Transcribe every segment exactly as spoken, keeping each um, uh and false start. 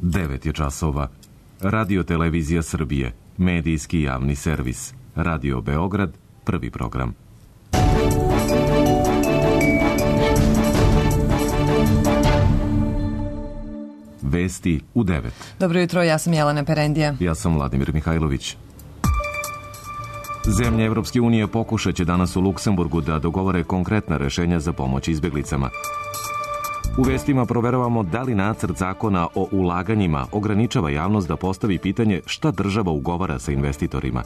devet je časova. Radio Televizija Srbije, medijski javni servis. Radio Beograd, prvi program. Vesti u devet. Dobro jutro, ja sam Jelena Perendija. Ja sam Vladimir Mihajlović. Zemlje Evropske unije pokušat će danas u Luksemburgu da dogovore konkretna rešenja za pomoć izbeglicama. U vestima proveravamo da li nacrt zakona o ulaganjima ograničava javnost da postavi pitanje šta država ugovara sa investitorima.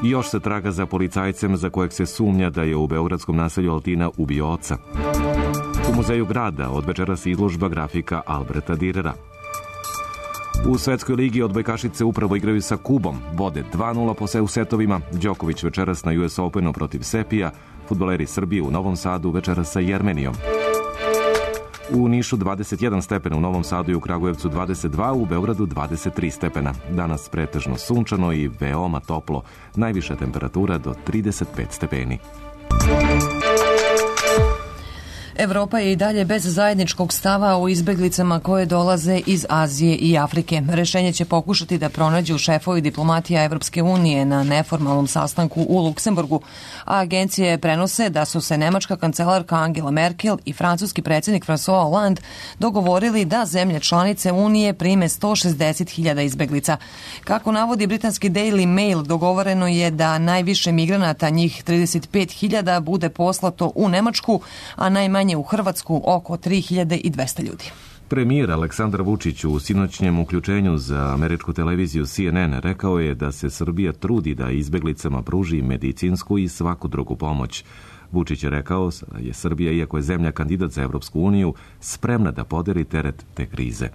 I još se traga za policajcem za kojeg se sumnja da je u beogradskom naselju Altina ubio oca. U muzeju grada od večeras izložba grafika Alberta Dürera. U Svetskoj ligi odbojkašice upravo igraju sa Kubom. Vode dva nula po u setovima. Đoković večeras na U S Openu protiv Sepija. Fudbaleri Srbije u Novom Sadu večeras sa Jermenijom. U Nišu dvadeset jedan stepena, u Novom Sadu i u Kragujevcu dvadeset dva, u Beogradu dvadeset tri stepena. Danas pretežno sunčano i veoma toplo. Najviša temperatura do trideset pet stepeni. Evropa je i dalje bez zajedničkog stava o izbeglicama koje dolaze iz Azije i Afrike. Rešenje će pokušati da pronađu šefovi diplomatija Evropske unije na neformalnom sastanku u Luksemburgu, a agencije prenose da su se nemačka kancelarka Angela Merkel i francuski predsjednik François Hollande dogovorili da zemlje članice Unije prime sto šezdeset hiljada izbeglica. Kako navodi britanski Daily Mail, dogovoreno je da najviše migranata, njih trideset pet hiljada, bude poslato u Nemačku, a najmanje u Hrvatsku oko tri hiljade dvesta ljudi. Premijer Aleksandar Vučić u sinoćnjem uključenju za američku televiziju C N N rekao je da se Srbija trudi da izbeglicama pruži medicinsku i svaku drugu pomoć. Vučić je rekao da je Srbija, iako je zemlja kandidat za Evropsku uniju, spremna da podeli teret te krize.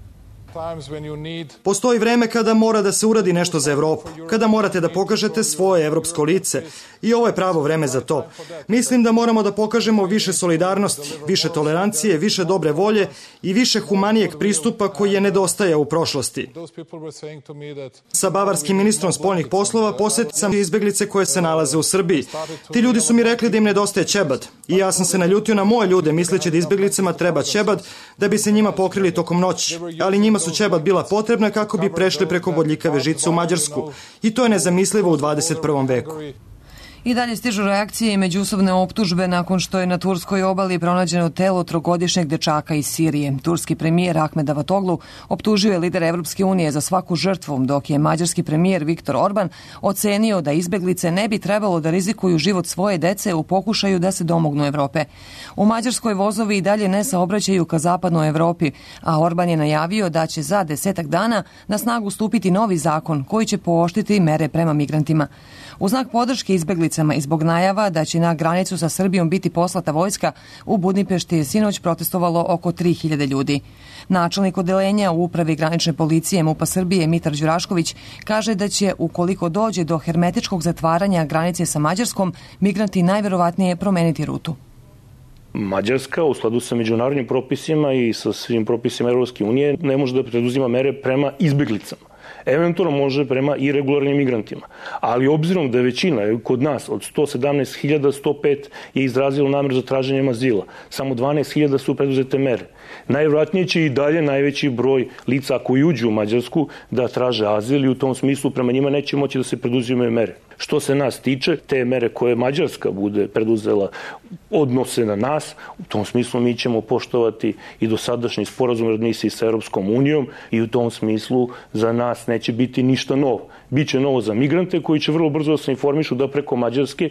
Postoji vreme kada mora da se uradi nešto za Evropu, kada morate da pokažete svoje evropsko lice i ovo je pravo vreme za to. Mislim da moramo da pokažemo više solidarnosti, više tolerancije, više dobre volje i više humanijeg pristupa koji je nedostaja u prošlosti. Sa bavarskim ministrom spoljnih poslova posjetio sam izbeglice koje se nalaze u Srbiji. Ti ljudi su mi rekli da im nedostaje ćebad i ja sam se naljutio na moje ljude misleći da izbeglicama treba ćebad da bi se njima pokrili tokom noći, ali njima su ćebad bila potrebna kako bi prešli preko bodljikave žice u Mađarsku i to je nezamislivo u dvadeset prvom veku. I dalje stižu reakcije i međusobne optužbe nakon što je na turskoj obali pronađeno telo trogodišnjeg dečaka iz Sirije. Turski premijer Ahmed Davutoglu optužio je lidera Evropske unije za svaku žrtvu, dok je mađarski premijer Viktor Orban ocenio da izbeglice ne bi trebalo da rizikuju život svoje dece u pokušaju da se domognu Evrope. U Mađarskoj vozovi i dalje ne saobraćaju ka zapadnoj Evropi, a Orban je najavio da će za desetak dana na snagu stupiti novi zakon koji će pooštriti mere prema migrantima. U znak podrške izbeglicama i zbog najava da će na granicu sa Srbijom biti poslata vojska, u Budimpešti je sinoć protestovalo oko tri hiljade ljudi. Načelnik odeljenja u upravi granične policije MUP-a Srbije Mitar Đurašković kaže da će, ukoliko dođe do hermetičkog zatvaranja granice sa Mađarskom, migranti najverovatnije promeniti rutu. Mađarska u skladu sa međunarodnim propisima i sa svim propisima Evropske unije ne može da preduzima mere prema izbeglicama. Eventualno može prema iregularnim migrantima. Ali obzirom da je većina kod nas od sto sedamnaest hiljada sto pet je izrazilo nameru za traženjem azila, samo dvanaest hiljada su preduzete mere. Najvjerojatnije će i dalje najveći broj lica koji uđu u Mađarsku da traže azil i u tom smislu prema njima neće moći da se preduzimaju mere. Što se nas tiče, te mere koje Mađarska bude preduzela odnose na nas, u tom smislu mi ćemo poštovati i dosadašnji sporazum o readmisiji sa Europskom unijom i u tom smislu za nas neće biti ništa novo. Biće novo za migrante koji će vrlo brzo da se informišu da preko Mađarske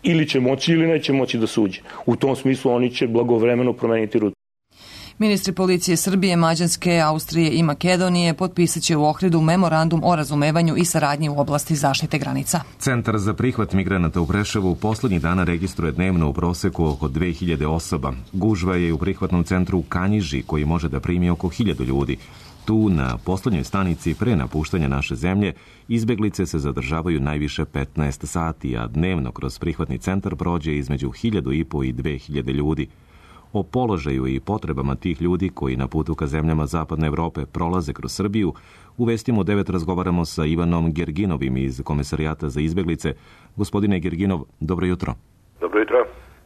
ili će moći ili neće moći da se uđe. U tom smislu oni će blagovremeno promeniti rutu. Ministri policije Srbije, Mađarske, Austrije i Makedonije potpisat će u Ohridu memorandum o razumevanju i saradnji u oblasti zaštite granica. Centar za prihvat migranata u Preševu poslednjih dana registruje dnevno u proseku oko dve hiljade osoba. Gužva je u prihvatnom centru u Kanjiži, koji može da primi oko hiljadu ljudi. Tu, na poslednjoj stanici pre napuštanja naše zemlje, izbeglice se zadržavaju najviše petnaest sati, a dnevno kroz prihvatni centar prođe između hiljadu i po i dve hiljade ljudi. O položaju i potrebama tih ljudi koji na putu ka zemljama Zapadne Evrope prolaze kroz Srbiju, u Vestima u devet razgovaramo sa Ivanom Gerginovim iz Komesarijata za izbeglice. Gospodine Gerginov, dobro jutro. Dobro jutro.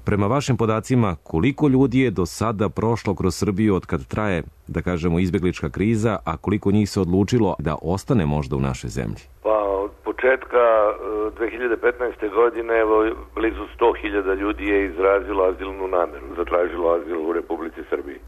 Prema vašim podacima, koliko ljudi je do sada prošlo kroz Srbiju od kad traje, da kažemo, izbeglička kriza, a koliko njih se odlučilo da ostane možda u našoj zemlji? Pa od početka dve hiljade petnaeste. godine evo, blizu sto hiljada ljudi je izrazilo azilnu nameru, zatražilo azil u Republici Srbiji.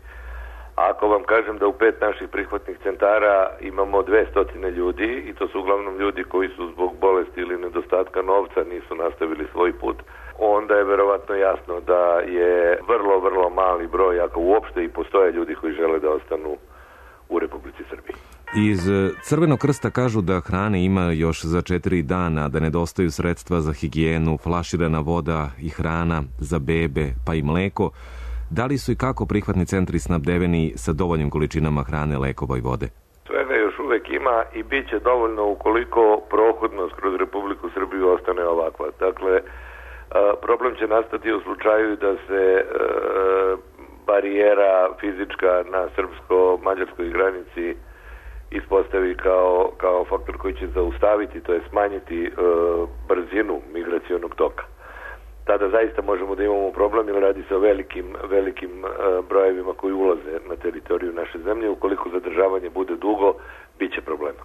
Ako vam kažem da u pet naših prihvatnih centara imamo dvesta ljudi i to su uglavnom ljudi koji su zbog bolesti ili nedostatka novca nisu nastavili svoj put, onda je verovatno jasno da je vrlo, vrlo mali broj, ako uopšte i postoje ljudi koji žele da ostanu u Republici Srbiji. Iz Crvenog krsta kažu da hrane ima još za četiri dana, da nedostaju sredstva za higijenu, flaširana voda i hrana za bebe, pa i mleko. Da li su i kako prihvatni centri snabdeveni sa dovoljnim količinama hrane, lekova i vode? Svega još uvek ima i bit će dovoljno ukoliko prohodnost kroz Republiku Srbiju ostane ovakva. Dakle, problem će nastati u slučaju da se barijera fizička na srpsko-mađarskoj granici ispostavi kao, kao faktor koji će zaustaviti, to je smanjiti brzinu migracionog toka. Tada zaista možemo da imamo problem, jer radi se o velikim, velikim brojevima koji ulaze na teritoriju naše zemlje. Ukoliko zadržavanje bude dugo, bit će problema.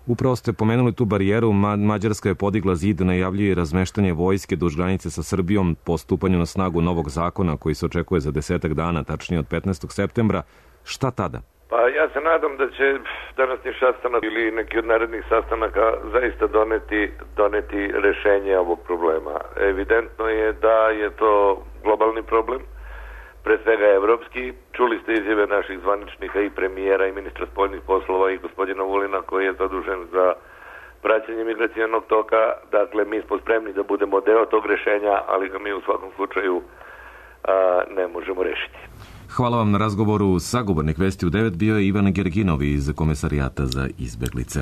Upravo ste pomenuli tu barijeru. Mađarska je podigla zid, najavljuje razmeštanje vojske duž granice sa Srbijom po stupanju na snagu novog zakona koji se očekuje za desetak dana, tačnije od petnaestog septembra. Šta tada? Pa ja se nadam da će današnji sastanak ili neki od narednih sastanaka zaista doneti, doneti rešenje ovog problema. Evidentno je da je to globalni problem, pre svega evropski. Čuli ste izjave naših zvaničnika i premijera i ministra spoljnih poslova i gospodina Vulina koji je zadužen za praćenje migracijonog toka. Dakle, mi smo spremni da budemo deo tog rešenja, ali ga mi u svakom slučaju a, ne možemo rešiti. Hvala vam na razgovoru. Sagovornik Vesti u devet bio je Ivan Gerginov iz Komesarijata za izbeglice.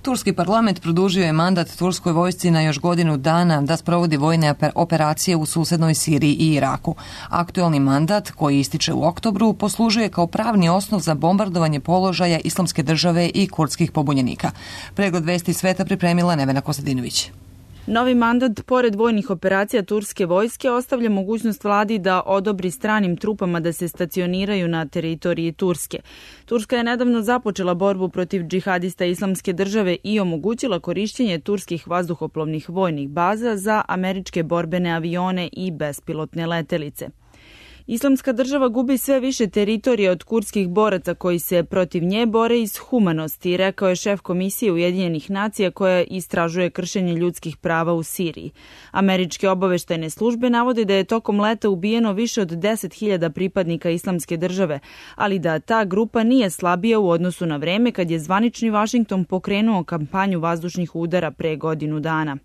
Turski parlament produžio je mandat turskoj vojsci na još godinu dana da sprovodi vojne operacije u susednoj Siriji i Iraku. Aktuelni mandat, koji ističe u oktobru, poslužuje kao pravni osnov za bombardovanje položaja Islamske države i kurdskih pobunjenika. Pregled Vesti sveta pripremila Nevena Kostadinović. Novi mandat, pored vojnih operacija turske vojske, ostavlja mogućnost vladi da odobri stranim trupama da se stacioniraju na teritoriji Turske. Turska je nedavno započela borbu protiv džihadista Islamske države i omogućila korišćenje turskih vazduhoplovnih vojnih baza za američke borbene avione i bespilotne letelice. Islamska država gubi sve više teritorija od kurdskih boraca koji se protiv nje bore iz humanosti, rekao je šef Komisije Ujedinjenih nacija koja istražuje kršenje ljudskih prava u Siriji. Američke obaveštajne službe navode da je tokom leta ubijeno više od deset hiljada pripadnika Islamske države, ali da ta grupa nije slabija u odnosu na vreme kad je zvanični Vašington pokrenuo kampanju vazdušnih udara pre godinu dana.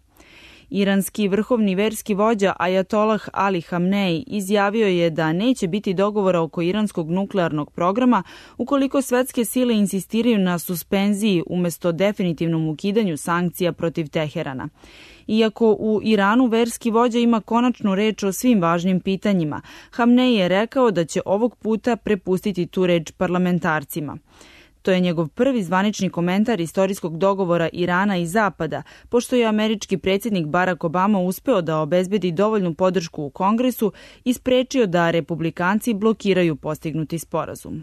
Iranski vrhovni verski vođa Ajatolah Ali Hamnej izjavio je da neće biti dogovora oko iranskog nuklearnog programa ukoliko svetske sile insistiraju na suspenziji umesto definitivnom ukidanju sankcija protiv Teherana. Iako u Iranu verski vođa ima konačnu reč o svim važnim pitanjima, Hamnej je rekao da će ovog puta prepustiti tu reč parlamentarcima. To je njegov prvi zvanični komentar istorijskog dogovora Irana i Zapada, pošto je američki predsjednik Barack Obama uspeo da obezbedi dovoljnu podršku u Kongresu i sprečio da republikanci blokiraju postignuti sporazum.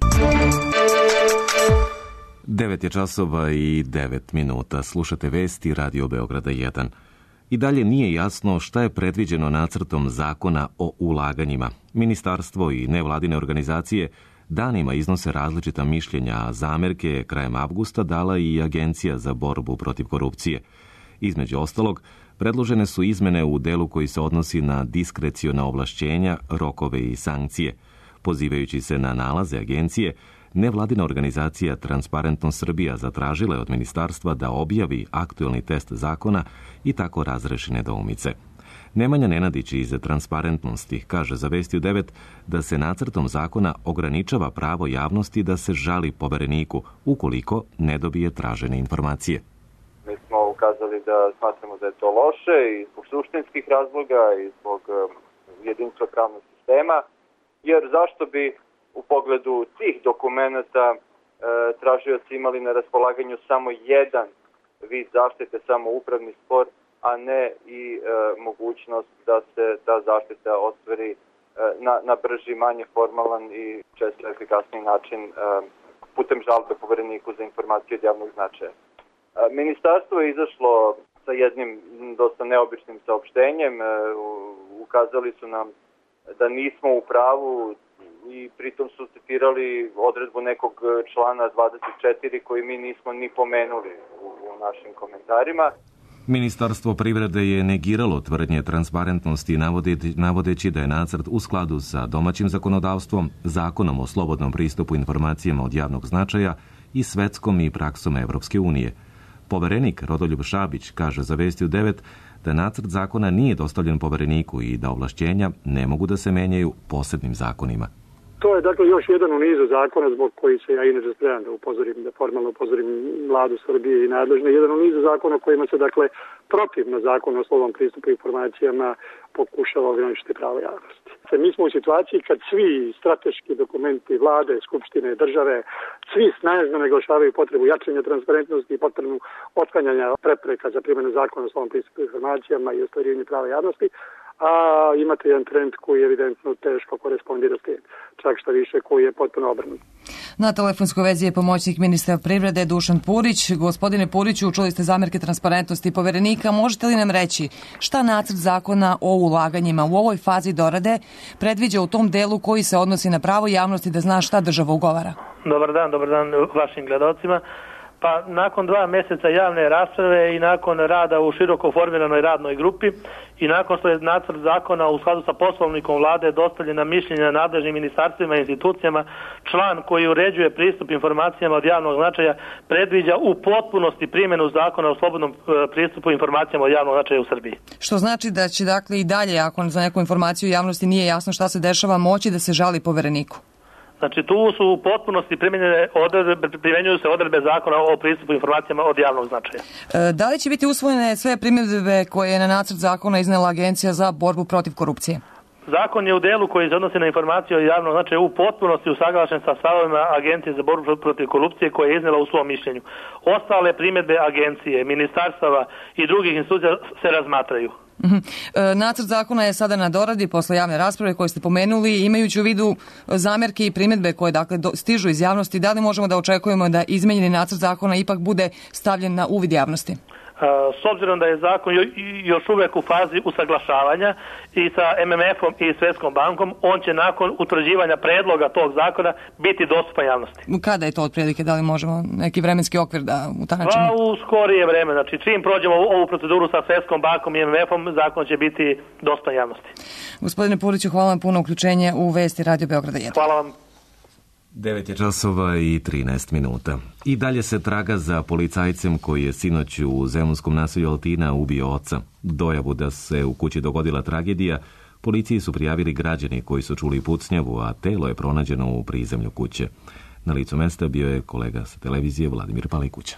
devet je časova i devet minuta. Slušate Vesti Radio Beograda jedan. I dalje nije jasno šta je predviđeno nacrtom zakona o ulaganjima. Ministarstvo i nevladine organizacije danima iznose različita mišljenja, a zamerke krajem avgusta dala i Agencija za borbu protiv korupcije. Između ostalog, predložene su izmene u delu koji se odnosi na diskreciona ovlašćenja, rokove i sankcije. Pozivajući se na nalaze agencije, nevladina organizacija Transparentnost Srbija zatražila je od ministarstva da objavi aktuelni test zakona i tako razreši nedoumice. Nemanja Nenadić iz Transparentnosti kaže za Vesti u devet da se nacrtom zakona ograničava pravo javnosti da se žali povereniku ukoliko ne dobije tražene informacije. Mi smo ukazali da smatramo da je to loše i zbog suštinskih razloga i zbog jedinstva pravnog sistema, jer zašto bi u pogledu tih dokumenata e, tražioci imali na raspolaganju samo jedan vid zaštite, samo upravni spor, a ne i e, mogućnost da se ta zaštita ostvari na, na brži, manje formalan i često efikasniji način putem žalbe Povereniku za informacije od javnog značaja. Ministarstvo je izašlo sa jednim dosta neobičnim saopštenjem. Ukazali su nam da nismo u pravu i pritom su citirali odredbu nekog člana dvadeset četiri koji mi nismo ni pomenuli u, u našim komentarima. Ministarstvo privrede je negiralo tvrdnje transparentnosti navodeći da je nacrt u skladu sa domaćim zakonodavstvom, zakonom o slobodnom pristupu informacijama od javnog značaja i svetskom i praksom Evropske unije. Poverenik Rodoljub Šabić kaže za Vesti u devet da nacrt zakona nije dostavljen Povereniku i da ovlašćenja ne mogu da se menjaju posebnim zakonima. To je dakle još jedan u nizu zakona zbog koji se ja inače spremam da upozorim, da formalno upozorim vladu Srbije i nadležne. Jedan u nizu zakona kojima se dakle protivno zakonu o slobodnom pristupu informacijama pokušava ograničiti pravo javnosti. Mi smo u situaciji kad svi strateški dokumenti vlade, skupštine, države, svi snažno naglašavaju potrebu jačanja transparentnosti i potrebu otklanjanja prepreka za primjenu zakona o slobodnom pristupu informacijama i ostvarivanje prava javnosti, a imate jedan trend koji je evidentno teško korespondira s tim, čak što više koji je potpuno obrnut. Na telefonskoj vezi je pomoćnik ministra privrede Dušan Purić. Gospodine Puriću, čuli ste zamerke transparentnosti Poverenika. Možete li nam reći šta nacrt zakona o ulaganjima u ovoj fazi dorade predviđa u tom delu koji se odnosi na pravo javnosti da zna šta država ugovara? Dobar dan, dobar dan vašim gledalcima. Pa nakon dva mjeseca javne rasprave i nakon rada u široko formiranoj radnoj grupi i nakon što je nacrt zakona u skladu sa poslovnikom vlade dostavljen na mišljenje nadležnim ministarstvima i institucijama, član koji uređuje pristup informacijama od javnog značaja predviđa u potpunosti primjenu zakona o slobodnom pristupu informacijama od javnog značaja u Srbiji. Što znači da će dakle i dalje, ako za neku informaciju javnosti nije jasno šta se dešava, moći da se žali Povereniku? Znači tu su u potpunosti primjenjuju se odredbe zakona o pristupu informacijama od javnog značaja. E, da li će biti usvojene sve primjedbe koje je na nacrt zakona iznela Agencija za borbu protiv korupcije? Zakon je u delu koji se odnosi na informacije od javnog značaja u potpunosti usaglašen sa stavovima Agencije za borbu protiv korupcije koje je iznela u svom mišljenju. Ostale primjedbe agencije, ministarstava i drugih institucija se razmatraju. Nacrt zakona je sada na doradi posle javne rasprave koje ste pomenuli, imajući u vidu zamerke i primjedbe koje dakle stižu iz javnosti. Da li možemo da očekujemo da izmenjeni nacrt zakona ipak bude stavljen na uvid javnosti? S obzirom da je zakon još uvijek u fazi usaglašavanja i sa M M F-om i Svetskom bankom, on će nakon utvrđivanja predloga tog zakona biti dostupan javnosti. Kada je to otprilike? Da li možemo neki vremenski okvir da utanačimo? Pa u skorije vreme. Znači čim prođemo ovu proceduru sa Svetskom bankom i M M F-om, zakon će biti dostupan javnosti. Gospodine Puriću, hvala vam puno uključenje u Vesti Radio Beograda jedan. Hvala vam. devet je časova i trinaest minuta. I dalje se traga za policajcem koji je sinoć u zemunskom naselju Altina ubio oca. Dojavu da se u kući dogodila tragedija, policiji su prijavili građani koji su čuli pucnjavu, a telo je pronađeno u prizemlju kuće. Na licu mesta bio je kolega sa televizije Vladimir Palikuća.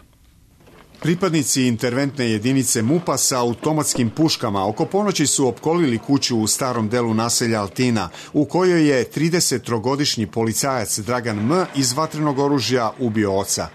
Pripadnici interventne jedinice MUP-a sa automatskim puškama oko ponoći su opkolili kuću u starom delu naselja Altina, u kojoj je tridesettrogodišnji policajac Dragan M. iz vatrenog oružja ubio oca.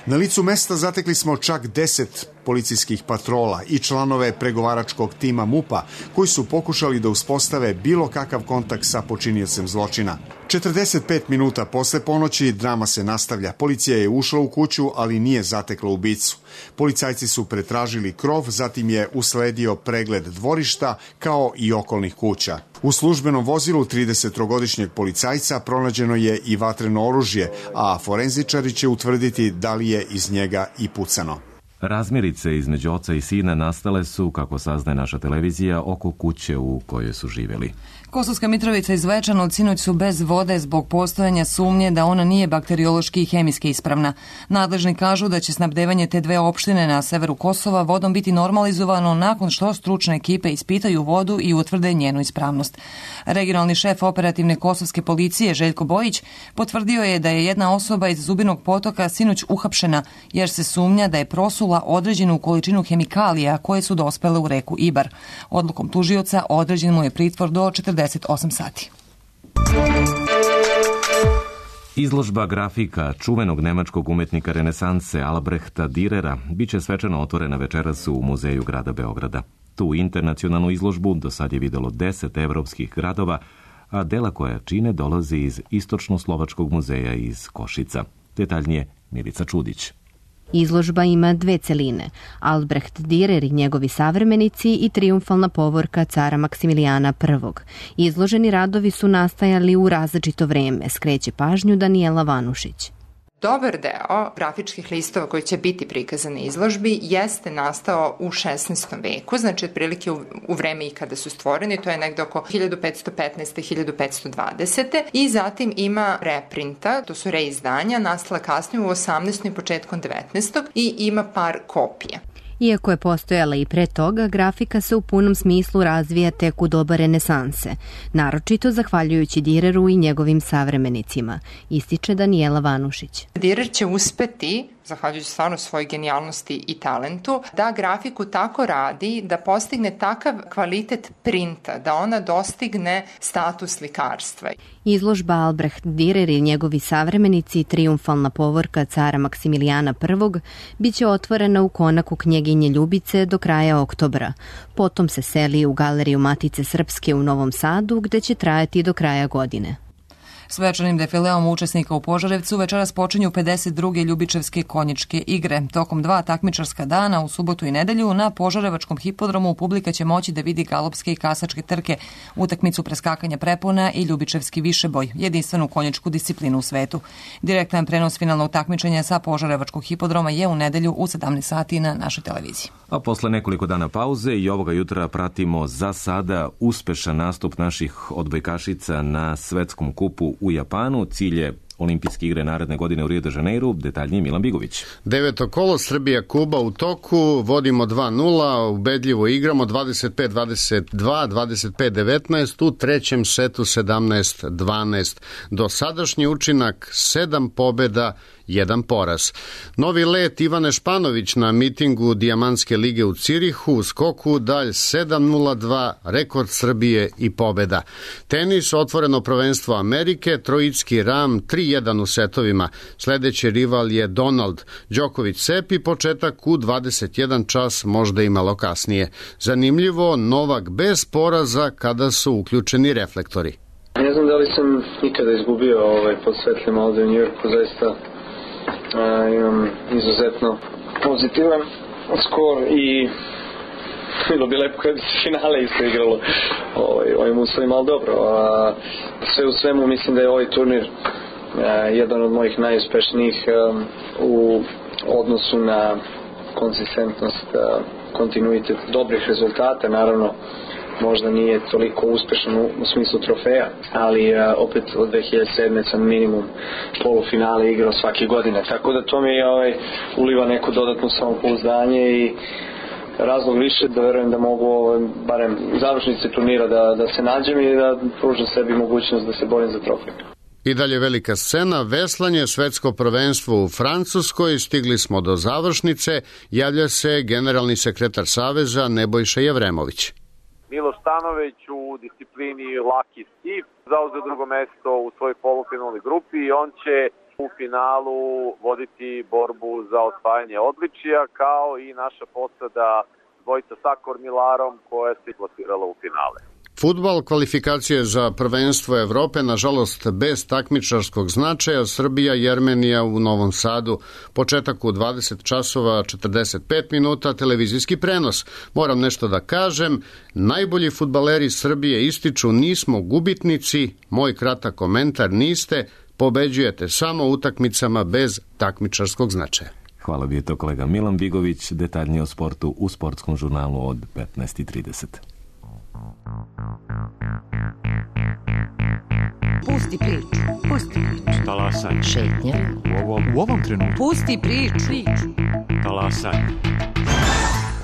Na licu mesta zatekli smo čak deset policijskih patrola i članove pregovaračkog tima MUP-a koji su pokušali da uspostave bilo kakav kontakt sa počiniocem zločina. četrdeset pet minuta posle ponoći drama se nastavlja. Policija je ušla u kuću, ali nije zatekla ubicu. Policajci su pretražili krov, zatim je usledio pregled dvorišta kao i okolnih kuća. U službenom vozilu tridesettrogodišnjeg policajca pronađeno je i vatreno oružje, a forenzičari će utvrditi da li je iz njega i pucano. Razmirice između oca i sina nastale su, kako saznaje naša televizija, oko kuće u kojoj su živjeli. Kosovska Mitrovica i Zvečan sinoć su bez vode zbog postojanja sumnje da ona nije bakteriološki i hemijski ispravna. Nadležni kažu da će snabdevanje te dve opštine na severu Kosova vodom biti normalizovano nakon što stručne ekipe ispitaju vodu i utvrde njenu ispravnost. Regionalni šef operativne kosovske policije Željko Bojić potvrdio je da je jedna osoba iz Zubinog potoka sinoć uhapšena jer se sumnja da je prosula određenu količinu hemikalija koje su dospele u reku Ibar. Odlukom tužioca određen mu je pritvor do četrdeset osam sati. Izložba grafika čuvenog nemačkog umetnika renesanse Albrehta Dürera biće svečano otvorena večeras u Muzeju grada Beograda. Tu internacionalnu izložbu do sad je videlo deset evropskih gradova, a dela koja čine dolaze iz Istočno-Slovačkog muzeja iz Košica. Detaljnije Milica Čudić. Izložba ima dve celine, Albrecht Dürer i njegovi savremenici i triumfalna povorka cara Maksimilijana prvog. Izloženi radovi su nastajali u različito vreme, skreće pažnju Danijela Vanušić. Dobar deo grafičkih listova koji će biti prikazani na izložbi jeste nastao u šesnaestom veku, znači otprilike u, u vreme i kada su stvoreni, to je negde oko hiljadu petsto petnaeste. do hiljadu petsto dvadesete. I zatim ima reprinta, to su reizdanja, nastala kasnije u osamnaestom i početkom devetnaestog i ima par kopija. Iako je postojala i pre toga, grafika se u punom smislu razvija tek u doba renesanse, naročito zahvaljujući Düreru i njegovim savremenicima, ističe Danijela Vanušić. Dürer će uspeti, zahvaljujući stvarno svojoj genijalnosti i talentu, da grafiku tako radi da postigne takav kvalitet printa, da ona dostigne status slikarstva. Izložba Albrecht Dürer i njegovi savremenici, triumfalna povorka cara Maksimilijana prvog, biće otvorena u konaku knjeginje Ljubice do kraja oktobra. Potom se seli u Galeriju Matice Srpske u Novom Sadu, gde će trajati do kraja godine. Svečanim defileom učesnika u Požarevcu večeras počinju pedeset druge Ljubičevske konjičke igre. Tokom dva takmičarska dana u subotu i nedelju na Požarevačkom hipodromu publika će moći da vidi galopske i kasačke trke, utakmicu preskakanja prepona i Ljubičevski višeboj, jedinstvenu konjičku disciplinu u svetu. Direktan prenos finalnog takmičenja sa Požarevačkog hipodroma je u nedelju u sedamnaest sati na našoj televiziji. A posle nekoliko dana pauze i ovoga jutra pratimo za sada uspešan nastup naših odbojkašica na svetskom kupu u Japanu. Cilj je Olimpijske igre naredne godine u Rio de Janeiru. Detaljnije Milan Bigović. Deveto kolo, Srbija-Kuba u toku, vodimo dva nula, ubedljivo igramo dvadeset pet dvadeset dva, dvadeset pet devetnaest, u trećem setu sedamnaest dvanaest. Dosadašnji učinak sedam pobeda, jedan poraz. Novi let Ivane Španović na mitingu Dijamantske lige u Cirihu, u skoku dalj sedam nula dva, rekord Srbije i pobeda. Tenis, otvoreno prvenstvo Amerike, Trojicki Ram tri jedan u setovima. Sledeći rival je Donald. Đoković Sepi, početak u dvadeset jedan čas, možda i malo kasnije. Zanimljivo, Novak bez poraza kada su uključeni reflektori. Ne znam da li sam nikada izgubio ovaj, pod svetlima ovde u Njujorku, zaista a, imam izuzetno pozitivan skor i bilo bi lepo kada bi se finale isto igralo ovaj, ovim uslovima, ali dobro. A, sve u svemu mislim da je ovaj turnir a, jedan od mojih najuspešnijih a, u odnosu na konsistentnost, a, kontinuitet dobrih rezultata, naravno možda nije toliko uspešan u, u smislu trofeja, ali a, opet od dve hiljade sedme sam minimum polufinale igrao svake godine, tako da to mi ovaj, uliva neko dodatno samopouzdanje i razlog više da verujem da mogu ovaj, barem u završnici turnira da, da se nađem i da pružim sebi mogućnost da se borim za trofej. I dalje velika scena, veslanje, svetsko prvenstvo u Francuskoj, stigli smo do završnice, javlja se generalni sekretar Saveza Nebojša Jevremović. Miloš Stanović u disciplini laki skif zauzeo drugo mesto u svojoj polufinalnoj grupi i on će u finalu voditi borbu za osvajanje odličija, kao i naša posada dvojica sa Kormilarom koja se plasirala u finale. Fudbal, kvalifikacije za prvenstvo Evrope, nažalost bez takmičarskog značaja, Srbija i Jermenija u Novom Sadu. Početak u dvadeset časova četrdeset pet minuta, televizijski prenos. Moram nešto da kažem, najbolji fudbaleri Srbije ističu nismo gubitnici, moj kratak komentar niste, pobeđujete samo utakmicama bez takmičarskog značaja. Hvala bi je to kolega Milan Bigović, detaljnije o sportu u sportskom žurnalu od petnaest i trideset. Pusti priču, pusti priču. Talasaj. Šetnja. U ovom, u ovom trenutku. Pusti priču. Talasaj.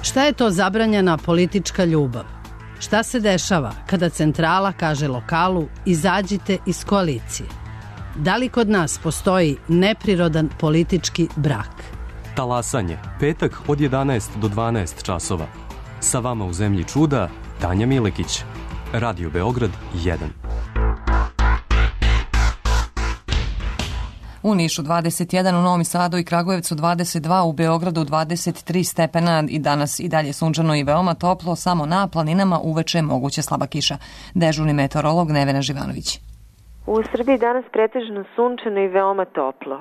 Šta je to zabranjena politička ljubav? Šta se dešava kada centrala kaže lokalu izađite iz koalicije? Da li kod nas postoji neprirodan politički brak? Talasanje, petak od jedanaest do dvanaest časova. Sa vama u zemlji čuda, Tanja Milekić. Radio Beograd jedan. U Nišu dvadeset jedan, u Novom Sadu i Kragujevcu dvadeset dva, u Beogradu dvadeset tri stepena i danas i dalje sunčano i veoma toplo, samo na planinama uveče moguće slaba kiša. Dežurni meteorolog Nevena Živanović. U Srbiji danas pretežno sunčano i veoma toplo.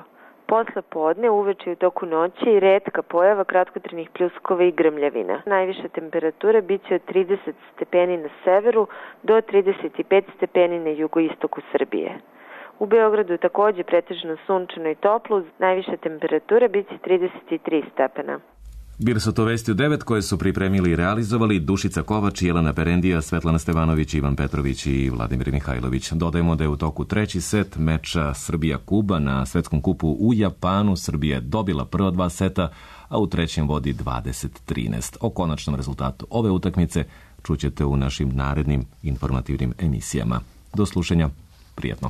Posle podne, uveče i u toku noći i retka pojava kratkotrenih pljuskova i grmljavina. Najviša temperatura biće od trideset stepeni na severu do trideset pet stepeni na jugoistoku Srbije. U Beogradu je takođe pretežno sunčano i toplo, najviša temperatura biće trideset tri stepena. Bili su to vesti u devet koje su pripremili i realizovali Dušica Kovač, Jelena Perendija, Svetlana Stevanović, Ivan Petrović i Vladimir Mihajlović. Dodajemo da je u toku treći set meča Srbija-Kuba na svetskom kupu u Japanu. Srbija je dobila prva dva seta, a u trećem vodi dvadeset trinaest. O konačnom rezultatu ove utakmice čućete u našim narednim informativnim emisijama. Do slušanja, prijatno.